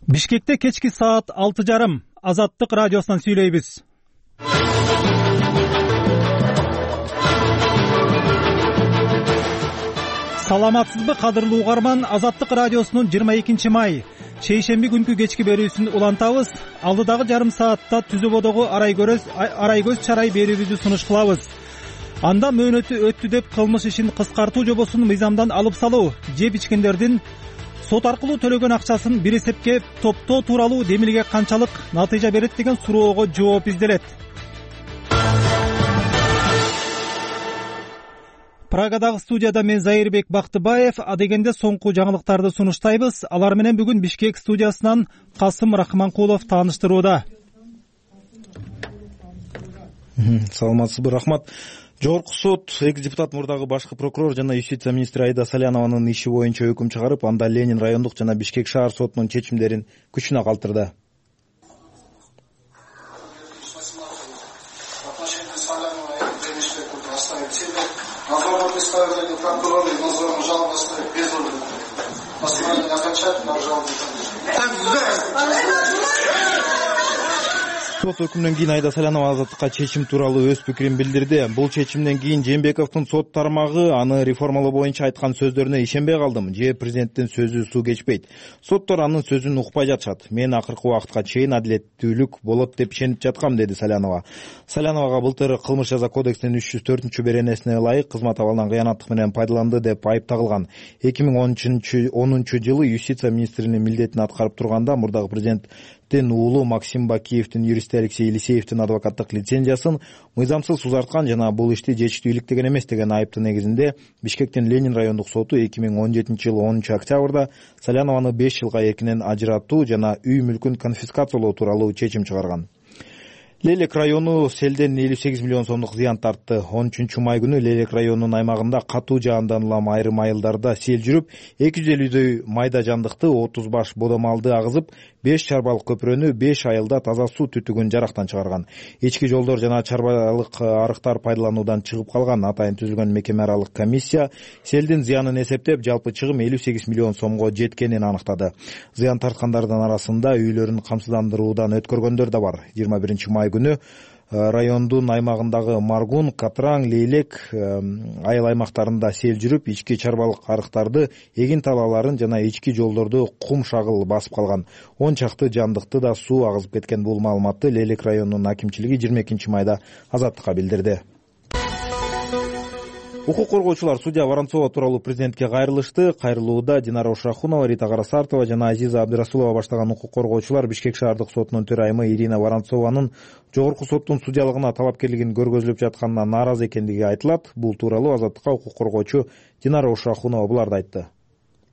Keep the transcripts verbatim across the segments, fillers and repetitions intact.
Бишкекте кечки саат алты жарым Азаттык радиосунан сүйлөйбүз. Саламатсызбы кадырлуу угарман, Азаттык радиосунун жыйырма экинчи май шейшемби күнкү кечки берүүсүн улантабыз. Алдыдагы жарым саатта түзөбодогу арай көрөз арай көз чарай берүүбүздү сунуш кылабыз. Анда мөөнөтү өттү деп кылмыш ишин кыскартуу жобосун мыйзамдан алып салуу, жеп ичкендердин сот аркылуу төлөгөн акчасын бир эсепке топтоо тууралуу демилге канчалык натыйжа берет деген суроого жооп изделет. Прагадагы студияда мен Зайырбек Бактыбаев, адегенде соңку жаңылыктарды сунуштайбыз. Алар менен бүгүн Бишкек студиясынан Касым Рахманкулов тааныштырууда. Саламатсызбы, рахмат. Жогорку сот экс депутат мурдагы башкы прокурор жана юстиция министри Айда Салянованын иши боюнча өкүм чыгарып, анда Ленин райондук жана Бишкек шаар сотунун чечимдерин күчүнө калтырды. Сот өкүмүнөн кийин Айда Салянова азаттыкка чечим тууралуу өз пикирин билдирди. Бул чечимден кийин Жээнбековдун сот тармагы аны реформалоо боюнча айткан сөздөрүнө ишенбей калдым. Же президенттин сөзү суу кечпейт. Соттор анын сөзүн укпай жатышат. Мен акыркы убакытка чейин адилеттүүлүк болот деп ишенип жаткам, деди Салянова. Саляновага былтыр кылмыш жаза кодексинин үч жүз төртүнчү беренесине ылайык кызмат абалынан кыянаттык менен пайдаланды деп айып тагылган. эки миң онунчу жылы юстиция министринин милдетин аткарып турганда мурдагы президенттин уулу Максим Бакиевдин юристи Алексей Елисеевдин адвокаттык лицензиясын мыйзамсыз узарткан жана бул ишти жетиштүү иликтеген эмес деген айыптын негизинде Бишкектин Ленин райондук соту эки миң он жетинчи жылы онунчу октябрда Салянованы беш жылга эркинен ажыратуу жана үй мүлкүн конфискациялоо тууралуу чечим чыгарган. Лелек району селден элүү сегиз миллион сомдук зыян тартты. он үчүнчү май күнү Лелек районунун аймагында катуу жаандан улам айрым айылдарда сел жүрүп, эки жүз элүүдөй майда жандыкты, отуз баш бодомалды агызып, беш чарбалык көпүрөнү, беш айылда таза суу түтүгүн жарактан чыгарган. Ички жолдор жана чарбалык арыктар пайдалануудан чыгып калган. Атайын түзүлгөн мекеме аралык комиссия селдин зыянын эсептеп, жалпы чыгым элүү сегиз миллион сомго жеткенин аныктады. Зыян тарткандардын арасында үйлөрүн камсыздандыруудан өткөргөндөр да бар. жыйырма биринчи май күнү райондун аймагындагы Маргун, Катраң, Лейлек айыл аймактарында сел жүрүп, ички чарбалык арыктарды, эгин талааларын жана ички жолдорду кум шагыл басып калган. он чакты жандыкты да суу агызып кеткен. Бул маалыматты Лейлек районунун акимчилиги жыйырма экинчи майда Азаттыкка билдирди. Укук коргоочулар судья Воронцова тууралуу президентке кайрылышты. Кайрылууда Динара Ушрахунова, Рита Карасартова жана Азиза Абдырасулова баштаган укук коргоочулар Бишкек шаардык сотунун төрайымы Ирина Воронцованын жогорку соттун судьялыгына талапкерлигин көргөзүлүп жатканына нааразы экендиги айтылат. Бул тууралуу Азаттыкка укук коргоочу Динара Ушрахунова буларды айтты.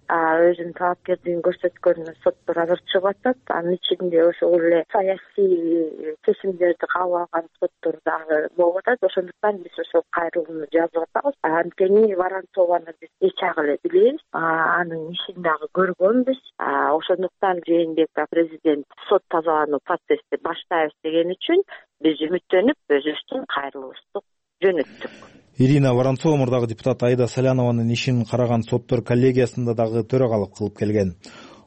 Өзүнүн талапкерлигин көрсөткөнүнө соттор азыр чыгып атат. Анын ичинде ошол эле саясий чечимдерди кабыл алган соттор дагы болуп атат. Ошондуктан биз ошол кайрылууну жазып атабыз. Анткени Воронцованы биз эч ак эле билебиз, анын ишин дагы көргөнбүз. Ошондуктан Жээнбеков президент сот тазалануу процессти баштайбыз деген үчүн биз үмүттөнүп өзүбүздүн кайрылуубузду жөнөттүк. Ирина Воронцова мурдагы депутат Айда Салянованын ишин караган соттор коллегиясында дагы төрагалык кылып келген.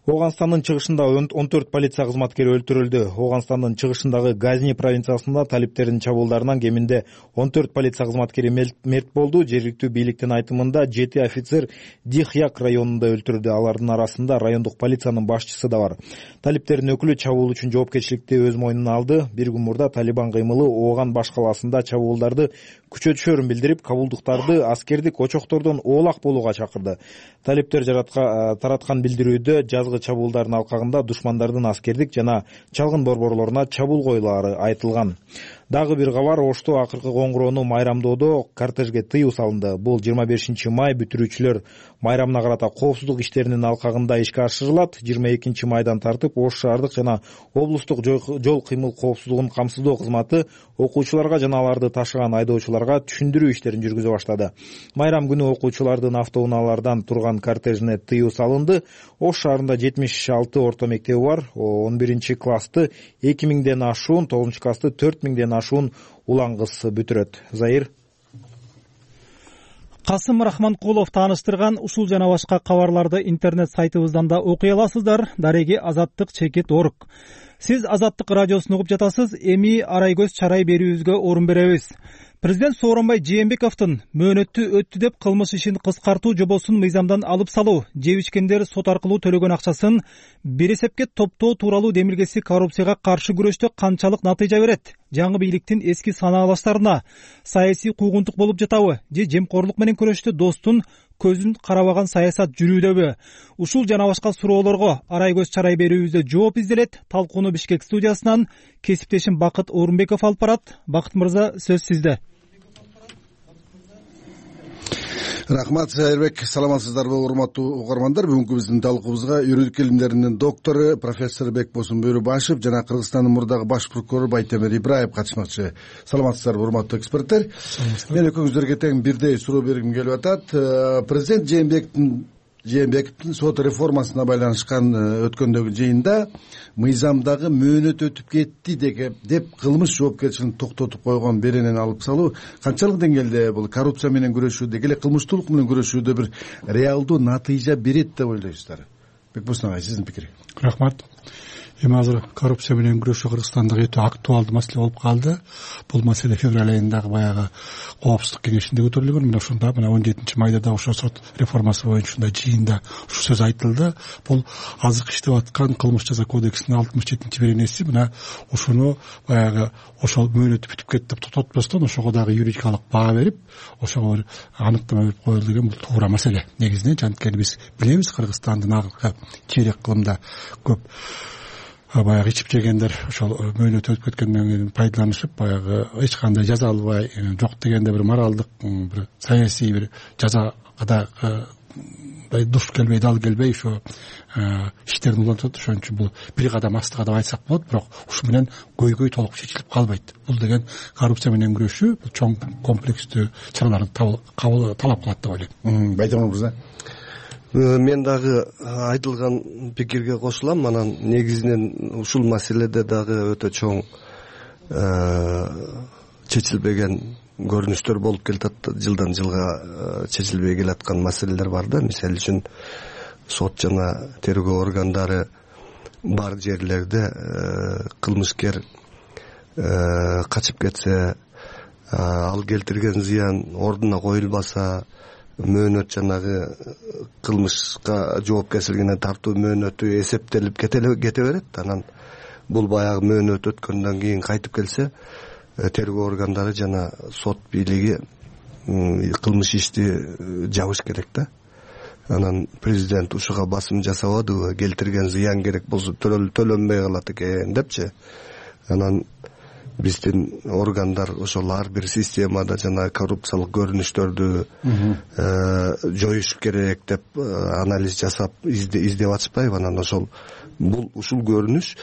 Оганстандын чыгышында он төрт полиция кызматкери өлтүрүлдү. Оганстандын чыгышындагы Газни провинциясында талиптердин чабуулдарынан кеминде он төрт полиция кызматкери мерт болду. Жергиликтүү бийликтин айтымында жети офицер Дихьяк районунда өлтүрүлдү. Алардын арасында райондук полициянын башчысы да бар. Талиптердин өкүлү чабуул үчүн жоопкерчиликти өз мойнуна алды. Бир күн мурда Талибан кыймылы Ооган баш калаасында чабуулдарды күчөтүшөрүн билдирип, кабулдуктарды аскердик очоктордон оолак болууга чакырды. Талиптер тараткан билдирүүдө жазгы чабуулдардын алкагында душмандардын аскердик жана чалгын борборлоруна чабуул коюлары айтылган. Дагы бир кабар, Ошто акыркы коңгуроону майрамдоодо кортежге тыюу салынды. Бул жыйырма бешинчи май бүтүрүүчүлөр майрамына карата коопсуздук иштеринин алкагында ишке ашырылат. жыйырма экинчи майдан тартып Ош шаардык жана облустук жол кыймыл коопсуздугун камсыздоо кызматы окуучуларга жана аларды ташыган айдоочуларга түшүндүрүү иштерин жүргүзө баштады. Майрам күнү окуучулардын автоунаалардан турган кортежине тыюу салынды. Ош шаарында жетимиш алты орто мектеби бар. он биринчи классты эки миңден ашуун, тогузунчу классты төрт миңден ашуун улан кыз бүтүрөт. Заир. Касым Рахманкулов тааныштырган ушул жана башка кабарларды интернет сайтыбыздан да окуй аласыздар. Дареги Азаттык чекит орг. Сиз Азаттык радиосун угуп жатасыз. Эми арай көз чарай берүүбүзгө орун беребиз. Президент Сооронбай Жээнбековдун мөөнөттү өттү деп кылмыш ишин кыскартуу жобосун мыйзамдан алып салуу, жеп ичкендер сот аркылуу төлөгөн акчасын бир эсепке топтоо тууралуу демилгеси коррупцияга каршы күрөштө канчалык натыйжа берет? Жаңы бийликтин эски санаалаштарына саясий куугунтук болуп жатабы же жемкорлук менен күрөштө достун көзүн карабаган саясат жүрүүдөбү? Ушул жана башка суроолорго арай көз чарай берүүбүздө жооп изделет. Талкууну Бишкек студиясынан кесиптешим Бакыт Орунбеков алып барат. Бакыт мырза, сөз сизде. Рахмат, Сайырбек. Саламатсыздарбы, урматтуу угармандар? Бүгүнкү биздин талкуубузга юридик илимдеринин доктору профессор Бекбосун Бөрүбашев жана Кыргызстандын мурдагы баш прокурору Байтемир Ибраев катышмакчы. Саламатсыздарбы, урматтуу эксперттер? Мен экөөңүздөргө тең бирдей суроо бергим келип атат. Президент Жээнбековдун Жээнбековдун сот реформасына байланышкан өткөндөгү жыйында мыйзамдагы мөөнөт өтүп кетти деп кылмыш жоопкерчилигин токтотуп койгон беренени алып салуу канчалык деңгээлде бул коррупция менен күрөшүүдө, эле кылмыштуулук менен күрөшүүдө бир реалдуу натыйжа берет деп ойлойсуздар? Бекбосун агай, сиздин пикириңиз. Рахмат. Эми азыр коррупция менен күрөшүү Кыргызстанда өтө актуалдуу маселе болуп калды. Бул маселе февраль айындагы баягы коопсуздук кеңешинде көтөрүлгөн. Мына ушунда мына он жетинчи майда да ошо сот реформасы боюнча ушундай жыйында ушу сөз айтылды. Бул азыркы иштеп аткан кылмыш жаза кодексинин алтымыш жетинчи беренеси мына ушуну баягы ошол мөөнөтү бүтүп кетти деп тототпостон ошого дагы юридикалык баа берип, ошого бир аныктама берип коюлду деген бул туура маселе. Негизинен жанткени биз билебиз, Кыргызстандын акыркы чейрек кылымда көп баягы ичип жегендер ошол мөөнөт өтүп кеткенден кийин пайдаланышып, баягы эч кандай жаза албай, жок дегенде бир моралдык, бир саясий бир жазага да душ келбей, дал келбей ошо иштерин улантат. Ошон үчүн бул бир кадам астыга деп айтсак болот, бирок ушу менен көйгөй толук чечилип калбайт. Бул деген коррупция менен күрөшүү бул чоң комплекстүү чараларды талап кылат деп ойлойм. Байтемир мырза. Мен дагы айтылган пикирге кошулам. Анан негизинен ушул маселеде дагы өтө чоң чечилбеген көрүнүштөр болуп келатат. Жылдан жылга чечилбей келаткан маселелер бар да. Мисалы үчүн сот жана тергөө органдары бар жерлерде кылмышкер качып кетсе, ал келтирген зыян ордуна коюлбаса, мөөнөт жанагы кылмышка жоопкерчилигине тартуу мөөнөтү эсептелип кете берет. Анан бул баягы мөөнөт өткөндөн кийин кайтып келсе, тергөө органдары жана сот бийлиги кылмыш ишти жабыш керек да. Анан президент ушуга басым жасабадыбы, келтирген зыян керек болсо төлөнбөй калат экен депчи. Анан биздин органдар ошол ар бир системада жана коррупциялык көрүнүштөрдү жоюш керек деп анализ жасап издеп атышпайбы? Анан ошол бул ушул көрүнүш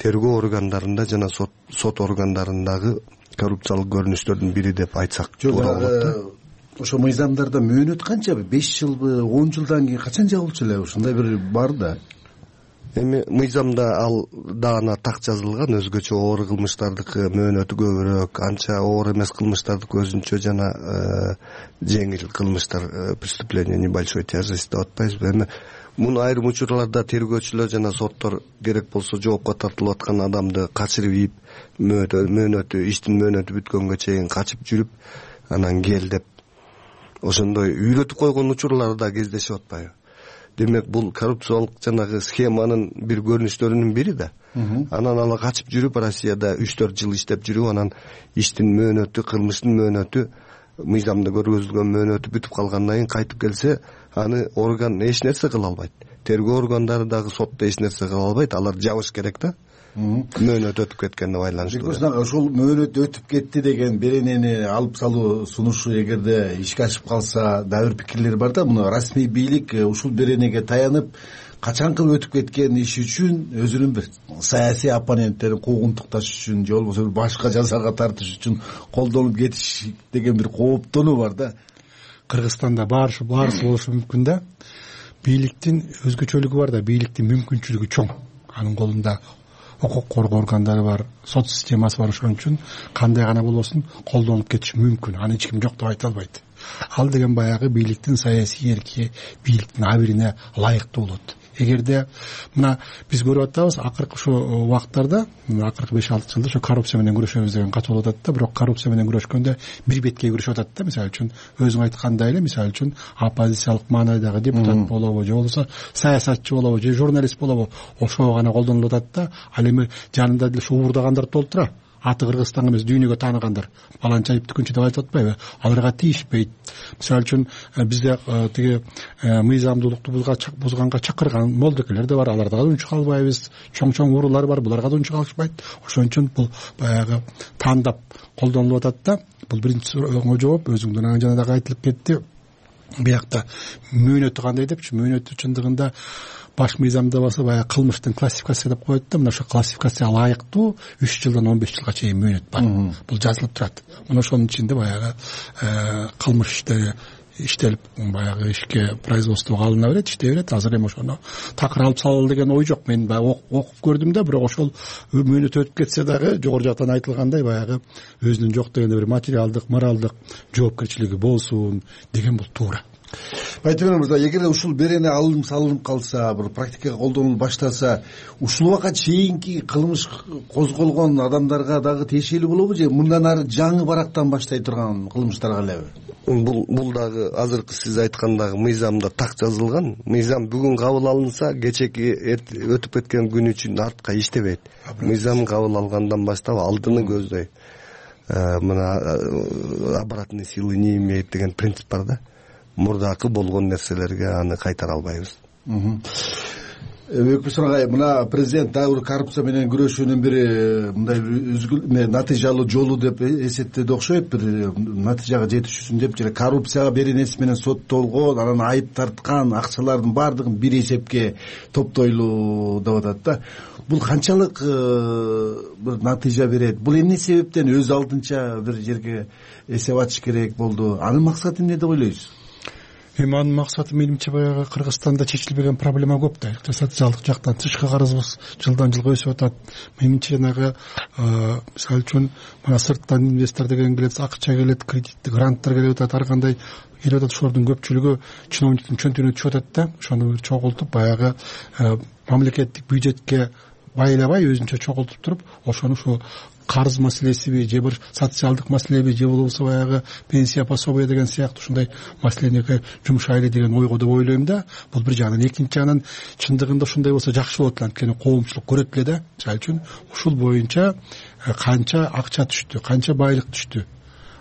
тергөө органдарында жана сот сот органдарындагы коррупциялык көрүнүштөрдүн бири деп айтсак туура болот. Ошо мыйзамдарда мөөнөт канчабы? беш жылбы, он жылдан кийин качан жабылчу эле? Ушундай бир бар да. Эми мыйзамда ал даана так жазылган, өзгөчө оор кылмыштардыкы мөөнөтү көбүрөөк, анча оор эмес кылмыштардыкы өзүнчө жана жеңил кылмыштар, преступление небольшой тяжести деп атпайбызбы? Эми муну айрым учурларда тергөөчүлөр жана соттор керек болсо жоопко тартылып аткан адамды качырып ийип, мөөнөтү иштин мөөнөтү бүткөнгө чейин качып жүрүп, анан кел деп ошондой үйрөтүп койгон учурлар да кездешип атпайбы? Демек бул коррупциялык жанагы схеманын бир көрүнүштөрүнүн бири да. Анан ала качып жүрүп Россияда үч төрт жыл иштеп жүрүп, анан иштин мөөнөтү, кылмыштын мөөнөтү, мыйзамда көргөзүлгөн мөөнөтү бүтүп калгандан кийин кайтып келсе, аны орган эч нерсе кыла албайт. Тергөө органдары дагы сотто эч нерсе кыла албайт. Алар жабыш керек да. Мөөнөт өтүп кеткенге байланыштуу. Ошол мөөнөт өтүп кетти деген беренени алып салуу сунушу эгерде ишке ашып калса, дагы бир пикирлер бар да. Муну расмий бийлик ушул беренеге таянып, качанкы өтүп кеткен иш үчүн өзүнүн бир саясий оппоненттерин куугунтукташ үчүн же болбосо башка жазага тартыш үчүн колдонуп кетиш деген бир кооптонуу бар да. Кыргызстанда баарысы баарысы болушу мүмкүн да. Бийликтин өзгөчөлүгү бар да, бийликтин мүмкүнчүлүгү чоң. Анын колунда укук коргоо органдары бар, сот системасы бар. Ошон үчүн кандай гана болбосун колдонуп кетиш мүмкүн. Аны эч ким жок деп айта албайт. ал деген баягы бийликтин саясий эркине, бийликтин абирине ылайыктуу болот. Эгерде мына биз көрүп атабыз акыркы ошо убакыттарда, акыркы беш алты жылда ошо коррупция менен күрөшөбүз деген катуу болуп атат да, бирок коррупция менен күрөшкөндө бир бетке күрөшүп атат да. Мисалы үчүн өзүң айткандай эле, мисалы үчүн оппозициялык маанайдагы депутат болобу, же болбосо саясатчы болобу, же журналист болобу, ошого гана колдонулуп атат да. Ал эми жанында деле ошо уурдагандар толтура. Аты Кыргызстанга эмес, дүйнөгө тааныгандар. Баланча айыптыкүнчү деп айтып атпайбы? Аларга тийишпейт. Мисалы үчүн бизде тиги мыйзамдуулукту бузганга чакырган молдокелер да бар. Аларга да унчук албайбыз. Чоң-чоң уруулар бар. Буларга да унчук алышпайт. Ошон үчүн бул баягы тандап колдонулуп атат да. Бул биринчи сурооңо жооп. Өзүңдүн жана дагы айтылып кетти. Биякта мөөнөтү кандай депчи? Мөөнөтү чындыгында баш мыйзамда болсо баягы кылмыштын классификация деп коет да. Мына ошо классификацияга ылайыктуу үч жылдан он беш жылга чейин мөөнөт бар. Бул жазылып турат. Мына ошонун ичинде баягы кылмыш иштери иштелип, баягы ишке производствого алына берет, иштей берет. Азыр эми ошону такыр алып салалы деген ой жок. Мен баягы окуп көрдүм да, бирок ошол мөөнөт өтүп кетсе дагы жогору жактан айтылгандай баягы өзүнүн жок дегенде бир материалдык, моралдык жоопкерчилиги болсун деген бул туура. Байтемир мырза, эгер ушул берене алынып салынып калса, бир практикага колдонулуп баштаса, ушул убакка чейинки кылмыш козголгон адамдарга дагы тиешелүү болобу, же мындан ары жаңы барактан баштай турган кылмыштарга элеби? Бул бул дагы азыркы сиз айткандагы мыйзамда так жазылган. Мыйзам бүгүн кабыл алынса, кечеки өтүп кеткен күн үчүн артка иштебейт. Мыйзам кабыл алгандан баштап алдыны көздөй. Мына обратной силы не имеет деген принцип бар да. Мурдакы болгон нерселерге аны кайтара албайбыз. Бекбосон агай, мына президент дагы бир коррупция менен күрөшүүнүн бири мындай бир натыйжалуу жолу деп эсептеди окшойт, бир натыйжага жетиш үчүн деп, же коррупцияга беренеси менен соттолгон, анан айып тарткан акчалардын баардыгын бир эсепке топтойлуу деп атат да. Бул канчалык бир натыйжа берет? Бул эмне себептен өз алдынча бир жерге эсеп ачыш керек болду? Анын максаты эмне деп ойлойсуз? Эми анын максаты менимче баягы Кыргызстанда чечилбеген проблема көп да. Социалдык жактан тышкы карызыбыз жылдан жылга өсүп атат. Менимче жанагы мисалы үчүн мына сырттан инвестор деген келет, акча келет, кредиттик гранттар келип атат, ар кандай келип атат. Ошолордун көпчүлүгү чиновниктин чөнтүгүнө түшүп атат да. Ошону чогултуп баягы мамлекеттик бюджетке байлабай өзүнчө чогултуп туруп, ошону ушу карыз маселесиби, же бир социалдык маселеби, же болбосо баягы пенсия пособие деген сыяктуу ушундай маселеге жумшайлы деген ойго деп ойлойм да. Бул бир жагынан. Экинчи жагынан чындыгында ушундай болсо жакшы болот эле, анткени коомчулук көрөт эле да. Мисалы үчүн ушул боюнча канча акча түштү, канча байлык түштү.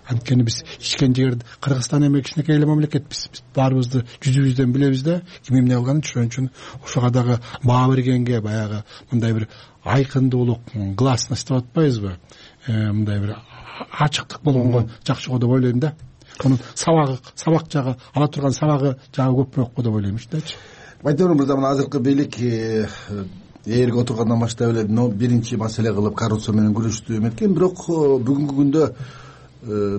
Анткени биз ичкен жерде Кыргызстан эми кичинекей эле мамлекетпиз. Биз баарыбызды жүзүбүздөн билебиз да, ким эмне кылганын. Ошон үчүн ошого дагы баа бергенге баягы мындай бир айкындуулук, гласность деп атпайбызбы? Мындай бир ачыктык болгонго жакшы го деп ойлойм да. Анын сабагы, сабак жагы, ала турган сабагы жагы көпүрөөк го деп ойлойм ичтечи. Байтемир мырза, мына азыркы бийлик ээрге отургандан баштап эле биринчи маселе кылып коррупция менен күрөштү эметкен, бирок бүгүнкү күндө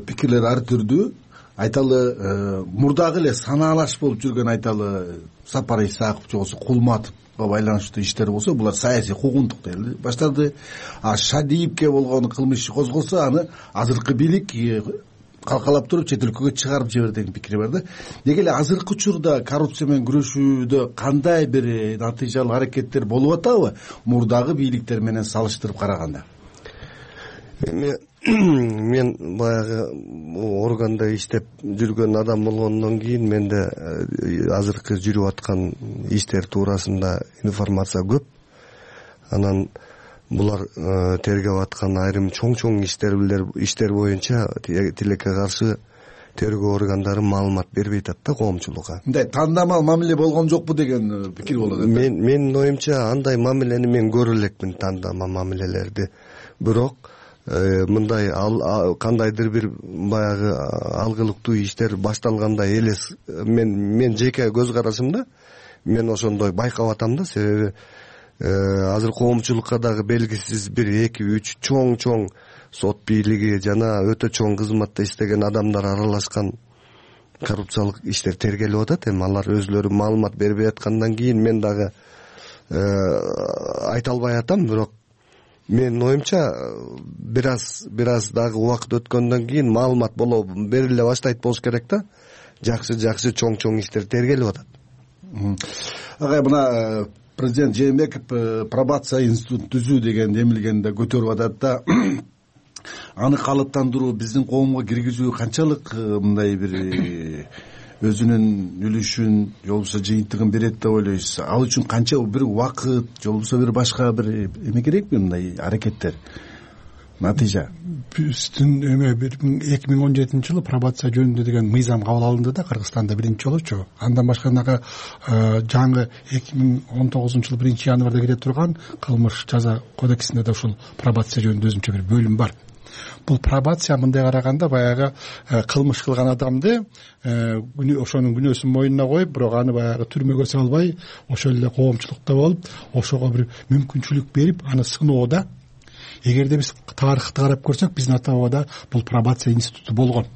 пикирлер ар түрдүү. Айталы мурдагы эле санаалаш болуп жүргөн, айталы Сапар Исаков же болбосо Кулматовго байланыштуу иштер болсо, булар саясий куугунтук деп баштады. А Шадиевке болгон кылмыш иши козголсо, аны азыркы бийлик калкалап туруп чет өлкөгө чыгарып жиберди деген пикир бар да. Деги эле азыркы учурда коррупция менен күрөшүүдө кандай бир натыйжалуу аракеттер болуп атабы мурдагы бийликтер менен салыштырып караганда? Эми мен баягы органда иштеп жүргөн адам болгондон кийин менде азыркы жүрүп аткан иштер туурасында информация көп. Анан булар тергеп аткан айрым чоң-чоң иштер иштер боюнча тилекке каршы тергөө органдары маалымат бербей атат да коомчулукка. Мындай тандамал мамиле болгон жокпу деген пикир болот. Мен менин оюмча андай мамилени мен көрө элекмин, тандамал мамилелерди. Бирок мындай кандайдыр бир баягы алгылыктуу иштер башталгандай элес мен мен жеке көз карашымда мен ошондой байкап атам да. Себеби азыр коомчулукка дагы белгисиз бир эки үч чоң-чоң сот бийлиги жана өтө чоң кызматта иштеген адамдар аралашкан коррупциялык иштер тергелип атат. Эми алар өзлөрү маалымат бербей аткандан кийин мен дагы айта албай атам, бирок менин оюмча бир аз бир аз дагы убакыт өткөндөн кийин маалымат боло бериле баштайт болуш керек да. Жакшы жакшы чоң чоң иштер тергелип атат. Агай, мына президент Жээнбеков пробация институтун түзүү деген эмилгенди көтөрүп атат да. Аны калыптандыруу, биздин коомго киргизүү канчалык мындай бир өзүнүн үлүшүн же болбосо жыйынтыгын берет деп ойлойсуз? Ал үчүн канча бир убакыт же болбосо бир башка бир эме керекпи мындай аракеттер? Натыйжа биздин эме эки миң он жетинчи жылы пробация жөнүндө деген мыйзам кабыл алынды да Кыргызстанда биринчи жолучу. Андан башканага жаңы эки миң он тогузунчу жылы биринчи январда кире турган кылмыш жаза кодексинде да ушул пробация жөнүндө өзүнчө бир бөлүм бар. Бул пробация мындай караганда баягы кылмыш кылган адамды ошонун күнөөсүн мойнуна коюп, бирок аны баягы түрмөгө салбай, ошол эле коомчулукта болуп, ошого бир мүмкүнчүлүк берип, аны сыноодо. Эгерде биз тарыхты карап көрсөк, биздин ата бабада бул пробация институту болгон.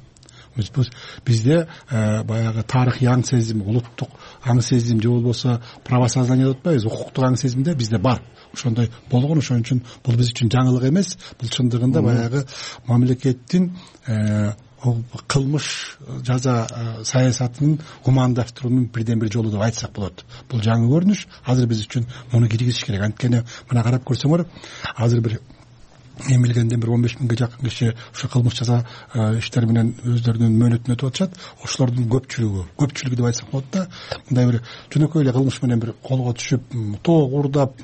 Бизде баягы тарыхый аң сезим, улуттук аң сезим же болбосо правосознание деп атпайбыз, укуктук аң сезимде бизде бар. Ошондой болгон, ошон үчүн бул биз үчүн жаңылык эмес. Бул чындыгында баягы мамлекеттин кылмыш жаза саясатынын гумандаштыруунун бирден бир жолу деп айтсак болот. Бул жаңы көрүнүш. Азыр биз үчүн муну киргизиш керек. Анткени мына карап көрсөңөр, азыр бир эмилгенден бир он беш миңге жакын киши ушу кылмыш жаза иштери менен өздөрүнүн мөөнөтүн өтүп атышат. Ошолордун көпчүлүгү, көпчүлүгү деп айтсак болот да, мындай бир жөнөкөй эле кылмыш менен бир колго түшүп, тоо уурдап,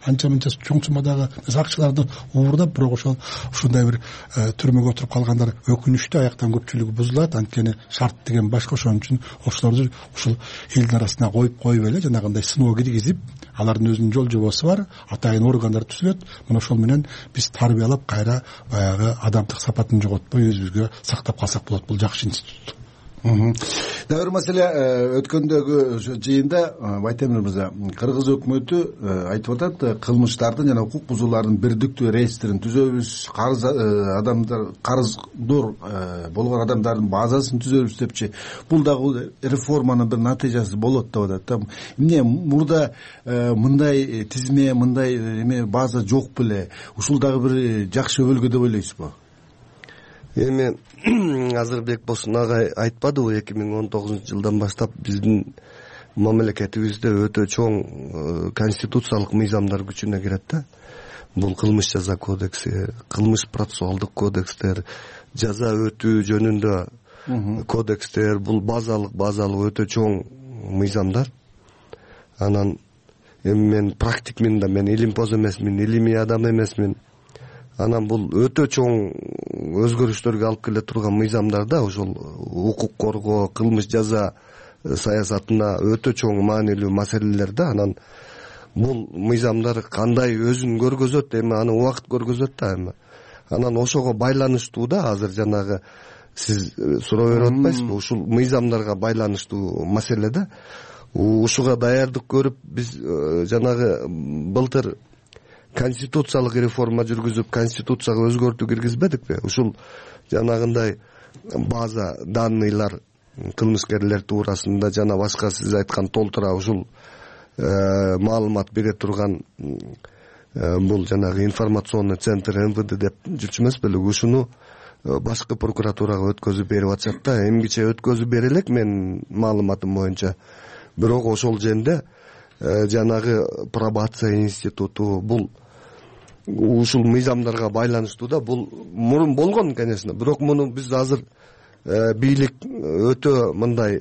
анча мынча чоң суммадагы акчаларды уурдап, бирок ошол ушундай бир түрмөгө отуруп калгандар өкүнүчтүү, аяктан көпчүлүгү бузулат. Анткени шарт деген башка. Ошон үчүн ошолорду ушул элдин арасына коюп коюп эле жанагындай сыноо киргизип, алардын өзүнүн жол жобосу бар, атайын органдар түзүлөт. Мына ошол менен биз тарбиялап кайра баягы адамдык сапатын жоготпой өзүбүзгө сактап калсак болот. Бул жакшы институт. Дагы бир маселе, өткөндөгү жыйында Байтемир мырза, Кыргыз өкмөтү айтып атат, кылмыштардын жана укук бузуулардын бирдиктүү реестрин түзөбүз, карыз адамдар, карыздор болгон адамдардын базасын түзөбүз депчи. Бул дагы реформанын бир натыйжасы болот деп атат. Эмне мурда мындай тизме, мындай эме база жок беле? Ушул дагы бир жакшы өбөлгө деп ойлойсузбу? Эми азыр Бекбосун агай айтпадыбы, эки миң он тогузунчу жылдан баштап биздин мамлекетибизде өтө чоң конституциялык мыйзамдар күчүнө кирет да. Бул кылмыш жаза кодекси, кылмыш процессуалдык кодекстер, жаза өтүү жөнүндө кодекстер, бул базалык базалык өтө чоң мыйзамдар. Анан эми мен практикмин да, мен илимпоз эмесмин, илимий адам эмесмин. Анан бул өтө чоң өзгөрүштөргө алып келе турган мыйзамдар да, ошол укук коргоо, кылмыш жаза саясатына өтө чоң маанилүү маселелер да. Анан бул мыйзамдар кандай өзүн көргөзөт, эми аны убакыт көргөзөт да. Эми анан ошого байланыштуу да, азыр жанагы сиз суроо берип атпайсызбы, ушул мыйзамдарга байланыштуу маселе да. Ушуга даярдык көрүп биз жанагы былтыр конституциялык реформа жүргүзүп, конституцияга өзгөртүү киргизбедикпи? Ушул жанагындай база данныйлар кылмышкерлер туурасында жана башка сиз айткан толтура ушул маалымат бере турган бул жанагы информационный центр эм вэ дэ деп жүрчү эмес беле? Ушуну башкы прокуратурага өткөзүп берип атышат да. Эмгиче өткөзүп бере элек менин маалыматым боюнча. Бирок ошол жерде жанагы пробация институту бул ушул мыйзамдарга байланыштуу да. Бул мурун болгон, конечно, бирок муну биз азыр бийлик өтө мындай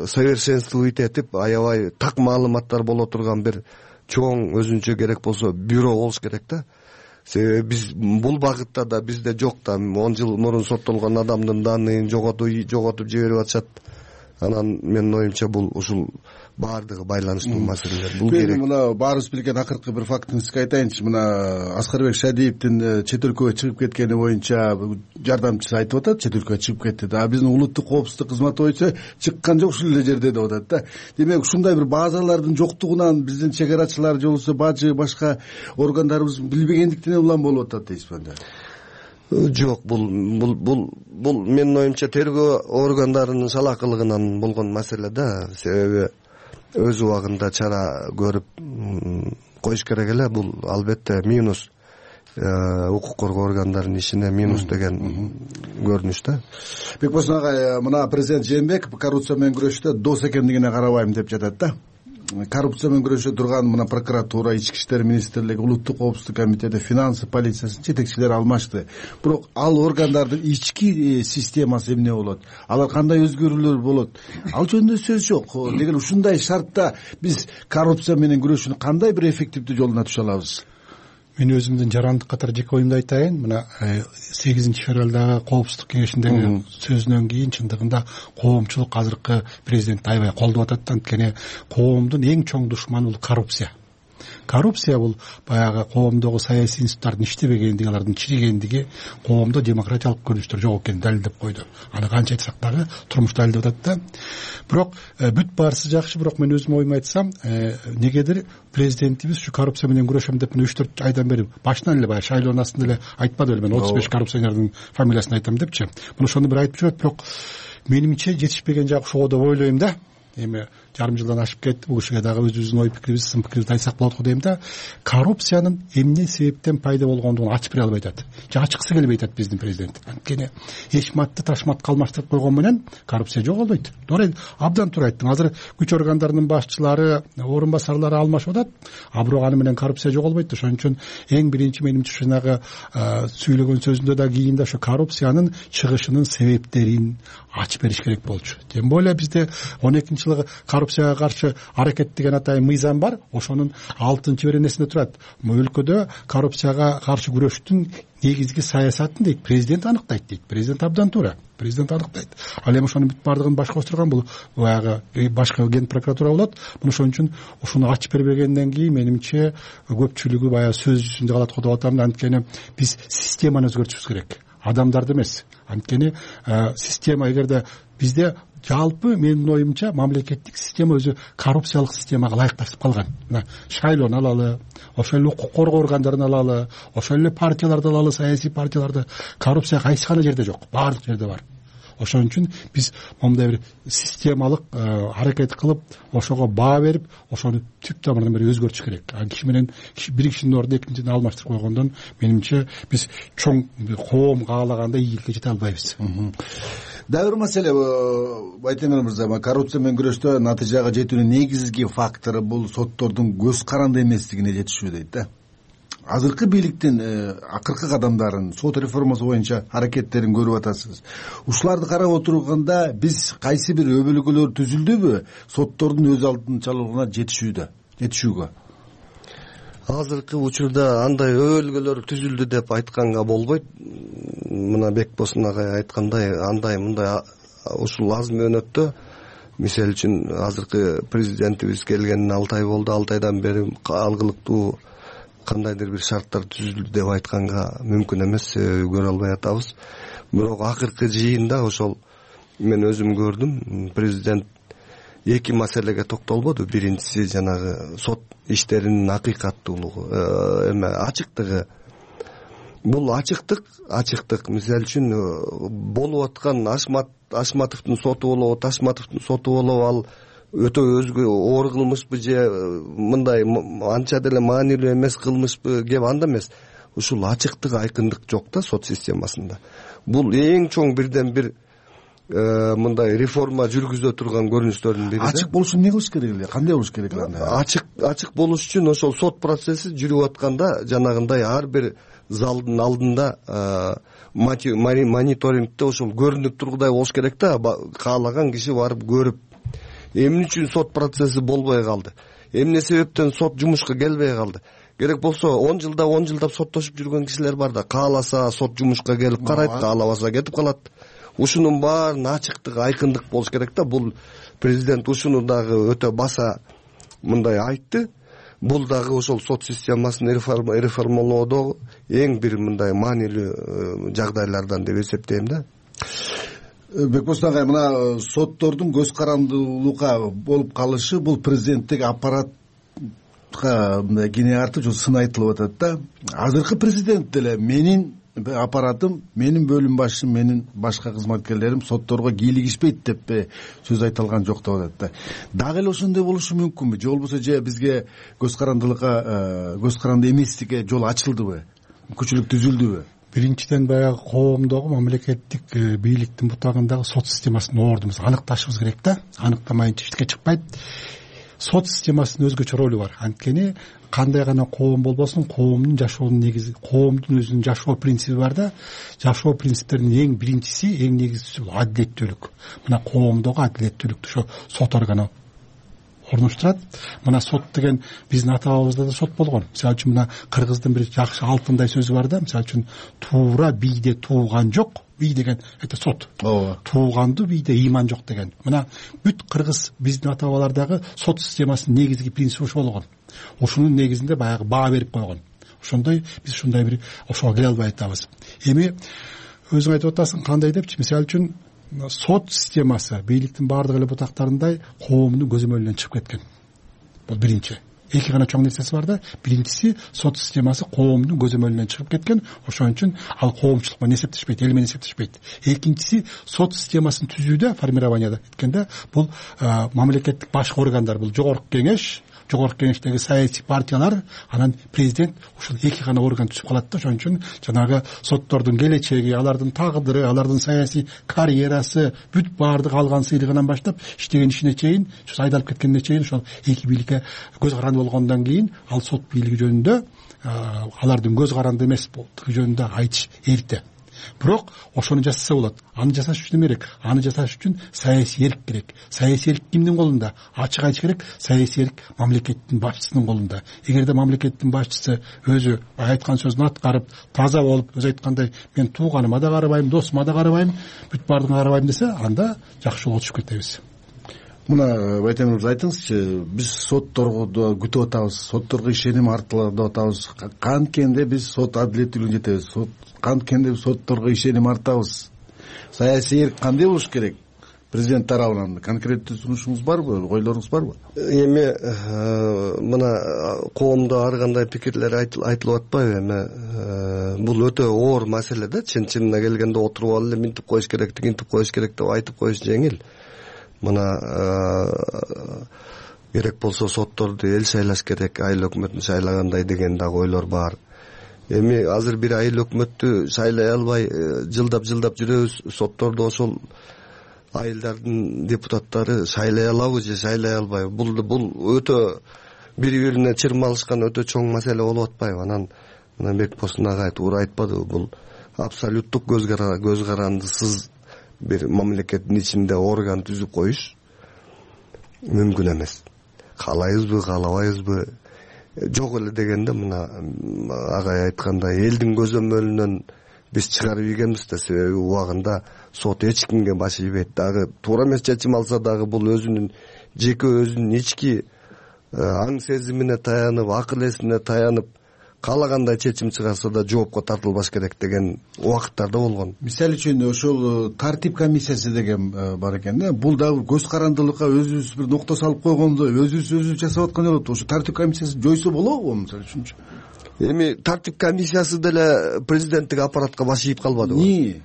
совершенствовать этип, аябай так маалыматтар боло турган бир чоң өзүнчө керек болсо бюро болуш керек да. Себеби биз бул багытта да бизде жок да. он жыл мурун соттолгон адамдын данныйын жоготуп жоготуп жиберип атышат. Анан менин оюмча бул ушул баардыгы байланыштуу маселелер. Бул керек. Мына баарыбыз билген акыркы бир фактын сизге айтайынчы. Мына Аскарбек Шадиевдин чет өлкөгө чыгып кеткени боюнча жардамчысы айтып атат, чет өлкөгө чыгып кетти да. Биздин улуттук коопсуздук кызматы боюнча чыккан жок, ушул эле жерде деп атат да. Демек ушундай бир базалардын жоктугунан биздин чек арачылар же болбосо бажы башка органдарыбыз билбегендиктен улам болуп атат дейсизби анда? Жок, бул бул бул бул менин оюмча тергөө органдарынын салакылыгынан болгон маселе да. Себеби өз убагында чара көрүп коюш керек эле. Бул албетте минус укук коргоо органдарынын ишине минус деген көрүнүш да. Бекбосын агай, мына президент Жээнбеков коррупция менен күрөштө дос экендигине карабайм деп жатат да. Коррупция менен күрөшө турган мына прокуратура, ички иштер министрлиги, улуттук коопсуздук комитети, финансы полициясынын жетекчилери алмашты. Бирок ал органдардын ички системасы эмне болот? Алар кандай өзгөрүүлөр болот? Ал жөнүндө сөз жок. Деген ушундай шартта биз коррупция менен күрөшүүнү кандай бир эффективдүү жолуна түшө алабыз? Мен өзүмдүн жарандык катар жеке оюмду айтайын. Мына сегизинчи февралдагы коопсуздук кеңешиндеги сөзүнөн кийин чындыгында коомчулук азыркы президентти аябай колдоп атат. Анткени коомдун эң чоң душманы бул коррупция. Коррупция бул баягы коомдогу саясий институттардын иштебегендиги, алардын чиригендиги, коомдо демократиялык көрүнүштөр жок экенин далилдеп койду. Аны канча айтсак дагы турмуш далилдеп атат да. Бирок бүт баарысы жакшы, бирок мен өзүм оюмду айтсам, негедир президентибиз ушу коррупция менен күрөшөм деп үч төрт айдан бери башынан эле баягы шайлоонун астында эле айтпады беле, мен отуз беш коррупционердин фамилиясын айтам депчи. Муну ошону бир айтып жүрөт, бирок менимче жетишпеген жагы ошого деп ойлойм да. Эми жарым жылдан ашып кетти, бул кишиге дагы өзүбүздүн ой пикирибиз, сын пикирибизди айтсак болот го дейм да. Коррупциянын эмне себептен пайда болгондугун ачып бере албай атат. Же ачыксы келбей атат биздин президент. Анткени эшматты ташмат калмаштырып койгон менен коррупция жоголбойт. Туура, абдан туура айттың. Азыр күч органдарынын башчылары, орун басарлары алмашып атат, а бирок аны менен коррупция жоголбойт. Ошон үчүн эң биринчи менимче жанагы сүйлөгөн сөзүндө да кийин да ошо коррупциянын чыгышынын себептерин ачып бериш керек болчу. Тем более бизде он экинчи жылы коррупцияга каршы аракет деген атайын мыйзам бар. Ошонун алтынчы беренесинде турат. Өлкөдө коррупцияга каршы күрөштүн негизги саясатын дейт президент аныктайт дейт. Президент абдан туура. Президент аныктайт. Ал эми ошонун бүт бардыгын башка отурган бул баягы башка ген прокуратура болот. Муну ошон үчүн ушуну ачып бербегенден кийин менимче көпчүлүгү баягы сөз жүзүндө калат го деп атам. Анткени биз системаны өзгөртүшүбүз керек, адамдарды эмес. Анткени система эгерде бизде жалпы менин оюмча мамлекеттик система өзү коррупциялык системага ылайыкташып калган. Мына шайлоону алалы, ошол эле укук коргоо органдарын алалы, ошол эле партияларды алалы, саясий партияларды. Коррупция кайсы гана жерде жок, баардык жерде бар. Ошон үчүн биз мондай бир системалык аракет кылып, ошого баа берип, ошону түп тамырынан бери өзгөртүш керек. А киши менен бир кишинин ордуна экинчисин алмаштырып койгондон менимче биз чоң коом каалагандай ийгиликке жете албайбыз. Дагы бир маселе, Байтемир мырза, коррупция менен күрөштө натыйжага жетүүнүн негизги фактору бул соттордун көз каранды эместигине жетишүү дейт да. Азыркы бийликтин акыркы кадамдарын, сот реформасы боюнча аракеттерин көрүп атасыз. Ушуларды карап отурганда биз кайсы бир өбөлгөлөр түзүлдүбү соттордун өз алдынчалыгына жетишүүдө, жетишүүгө? Азыркы учурда андай өбөлгөлөр түзүлдү деп айтканга болбойт. Мына Бекбосын агай айткандай, андай мындай ушул аз мөөнөттө, мисалы үчүн азыркы президентибиз келгенине алты ай болду, алты айдан бери алгылыктуу кандайдыр бир шарттар түзүлдү деп айтканга мүмкүн эмес, көрө албай атабыз. Бирок акыркы жыйында ошол мен өзүм көрдүм, президент эки маселеге токтолбоду. Биринчиси жанагы сот иштеринин акыйкаттуулугу, эме ачыктыгы. Бул ачыктык, ачыктык мисалы үчүн болуп аткан Ашмат Ашматовдун соту болобу, Ташматовдун соту болобу, ал өтө өзгө оор кылмышпы же мындай анча деле маанилүү эмес кылмышпы, кеп анда эмес. Ушул ачыктык, айкындык жок да сот системасында. Бул эң чоң бирден бир мындай реформа жүргүзө турган көрүнүштөрдүн бири. Ачык болуш үчүн эмне кылыш керек эле? Кандай болуш керек эле? Ачык ачык болуш үчүн ошол сот процесси жүрүп атканда жанагындай ар бир залдын алдында мониторингде ошол көрүнүп тургудай болуш керек да. Каалаган киши барып көрүп, эмне үчүн сот процесси болбой калды, эмне себептен сот жумушка келбей калды. Керек болсо он жылда он жылдап соттошуп жүргөн кишилер бар да, кааласа сот жумушка келип карайт, каалабаса кетип калат. Ушунун баарын ачыктык, айкындык болуш керек да. Бул президент ушуну дагы өтө баса мындай айтты. Бул дагы ошол сот системасын реформалоодо эң бир мындай маанилүү жагдайлардан деп эсептейм да. Бекбосын агай, мына соттордун көз карандылууга болуп калышы бул президенттик аппаратка кене артып сын айтылып атат да. Азыркы президент деле менин аппаратым, менин бөлүм башчым, менин башка кызматкерлерим сотторго кийлигишпейт деп сөз айта жок деп атат да. Дагы эле ошондой болушу мүмкүнбү? Же болбосо же бизге көз карандылыкка, көз каранды эместикке жол ачылдыбы? Мүмкүнчүлүк түзүлдүбү? Биринчиден баягы коомдогу мамлекеттик бийликтин бутагындагы сот системасын ордубуз аныкташыбыз керек да. Аныктамайынча эчтеке чыкпайт. Сот системасынын өзгөчө ролу бар. Анткени кандай гана коом болбосун, коомдун жашоонун негизи, коомдун өзүнүн жашоо принциби бар да. Жашоо принциптеринин эң биринчиси, эң негизгиси бул адилеттүүлүк. Мына коомдогу адилеттүүлүктү ошо сот органы орнуштурат. Мына сот деген биздин ата бабабызда да сот болгон. Мисалы үчүн мына кыргыздын бир жакшы алтындай сөзү бар да. Мисалы үчүн туура бийде тууган жок. Бий деген это сот. Ооба. Тууганды бийде ыйман жок деген. Мына бүт кыргыз биздин ата бабалардагы сот системасынын негизги принциби ошол болгон. Ошонун негизинде баягы баа берип койгон. Ошондой биз ушундай бир ошого келе албай атабыз. Эми өзүң айтып атасың кандай депчи? Мисалы үчүн сот системасы бийликтин баардык эле бутактарындай коомдун көзөмөлүнөн чыгып кеткен. Бул биринчи. Эки гана чоң нерсеси бар да. Биринчиси сот системасы коомдун көзөмөлүнөн чыгып кеткен. Ошон үчүн ал коомчулук менен эсептешпейт, эл менен эсептешпейт. Экинчиси сот системасын түзүүдө, формированияда эткенде бул мамлекеттик башкы органдар, бул жогорку кеңеш, жогорку кеңештеги саясий партиялар, анан президент ушул эки гана орган түзүп калат да. Ошон үчүн жанагы соттордун келечеги, алардын тагдыры, алардын саясий карьерасы, бүт баардык алган сыйлыгынан баштап иштеген ишине чейин, ошо айдалып кеткенине чейин ошол эки бийликке көз каранды болгондон кийин ал сот бийлиги жөнүндө алардын көз каранды эмес болдугу жөнүндө айтыш эрте. Бирок ошону жасаса болот. Аны жасаш үчүн эме керек? Аны жасаш үчүн саясий эрк керек. Саясий эрк кимдин колунда? Ачык айтыш керек, саясий эрк мамлекеттин башчысынын колунда. Эгерде мамлекеттин башчысы өзү айткан сөзүн аткарып, таза болуп, өзү айткандай мен тууганыма да карабайм, досума да карабайм, бүт баардыгына карабайм десе, анда жакшы жолго түшүп кетебиз. Мына Байтемир мырза айтыңызчы, биз сотторду күтүп атабыз, сотторго ишеним артылат деп атабыз. Канткенде биз сот адилеттүүлүгүнө жетебиз? Сот канткенде сотторго ишеним артабыз? Саясий эрк кандай болуш керек? Президент тарабынан конкреттүү сунушуңуз барбы, ойлоруңуз барбы? Эми мына коомдо ар кандай пикирлер айтылып атпайбы? Эми бул өтө оор маселе да. Чын-чынына келгенде отуруп алып эле минтип коюш керек, тигинтип коюш керек деп айтып коюш жеңил. Мына керек болсо сотторду эл шайлаш керек, айыл өкмөтүн шайлагандай деген дагы ойлор бар. Эми азыр бир айыл өкмөттү шайлай албай жылдап-жылдап жүрөбүз. Сотторду ошол айылдардын депутаттары шайлай алабы же шайлай албайбы? Бул бул өтө бири-бирине чырмалышкан өтө чоң маселе болуп атпайбы? Анан мына Бекбосун агай туура айтпадыбы? Бул абсолюттук көз карандысыз бир мамлекеттин ичинде орган түзүп коюш мүмкүн эмес. Каалайбызбы, каалабайбызбы? Жок эле дегенде мына агай айткандай элдин көзөмөлүнөн биз чыгарып ийгенбиз да. Себеби убагында сот эч кимге баш ийбейт. Дагы туура эмес чечим алса дагы бул өзүнүн жеке өзүнүн ички аң сезимине таянып, акыл эсине таянып каалагандай чечим чыгарса да жоопко тартылбаш керек деген убакыттарда болгон. Мисалы үчүн ошол тартип комиссиясы деген бар экен да. Бул дагы көз карандылыкка өзүбүз бир нокто салып койгондо, өзүбүз өзүбүз жасап аткан болот. Ошо тартип комиссиясы жойсо болобу мисалы үчүнчү? Эми тартип комиссиясы деле президенттик аппаратка баш ийип калбадыбы? Эмне?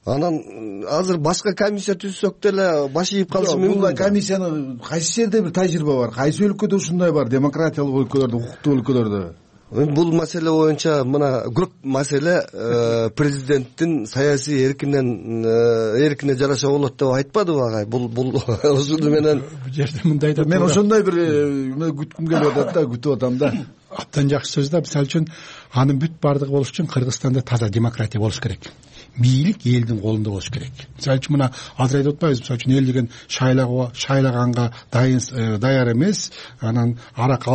Анан азыр башка комиссия түзсөк деле баш ийип калышы мүмкүн. Бул комиссиянын кайсы жерде бир тажрыйба бар? Кайсы өлкөдө ушундай бар? Демократиялык өлкөлөрдө, укуктуу өлкөлөрдө? Бул маселе боюнча мына көп маселе президенттин саясий эркинен эркине жараша болот деп айтпадыбы агай? Бул бул ошону менен бул жерде мындай да мен ошондой бир күткүм келип атат да, күтүп атам да. Абдан жакшы сөз да. Мисалы үчүн анын бүт баардыгы болуш үчүн Кыргызстанда таза демократия болуш керек. Бийлик элдин колунда болуш керек. Мисалы үчүн мына азыр айтып атпайбыз, мисалы үчүн эл деген шайлаганга шайлаганга дайын даяр эмес, анан арак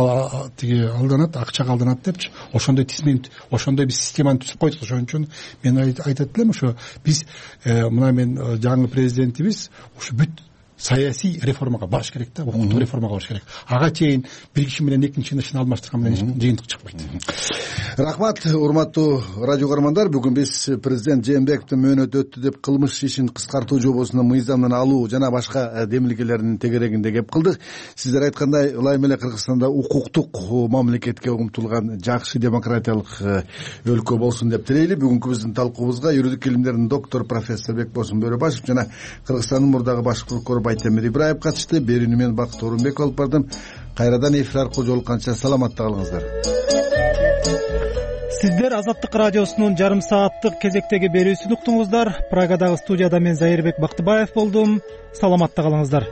тиги алданат, акчага алданат депчи. Ошондой тизмени, ошондой бир системаны түзүп койдук. Ошон үчүн мен айтат элем, ошо биз мына мен жаңы президентибиз ушу бүт саясий реформага барыш керек да, укуктук реформага барыш керек. Ага чейин бир киши менен экинчи кишини алмаштырган менен жыйынтык чыкпайт. Рахмат, урматтуу радио угармандар. Бүгүн биз президент Жээнбековдун мөөнөтү өттү деп кылмыш ишин кыскартуу жобосуна мыйзамдан алуу жана башка демилгелердин тегерегинде кеп кылдык. Сиздер айткандай, ылайым эле Кыргызстанда укуктук мамлекетке умтулган жакшы демократиялык өлкө болсун деп тилейли. Бүгүнкү биздин талкуубузга юридик илимдердин доктор профессор Бекбосун Бөрөбашев жана Кыргызстандын мурдагы баш прокурору Байтемир Ибраев катышты. Берүүнү мен Бакыт Орунбеков алып бардым. Кайрадан эфир аркылуу жолукканча саламатта калыңыздар. Сиздер Азаттык радиосунун жарым сааттык кезектеги берүүсүн уктуңуздар. Прагадагы студияда мен Зайырбек Бактыбаев болдум. Саламатта калыңыздар.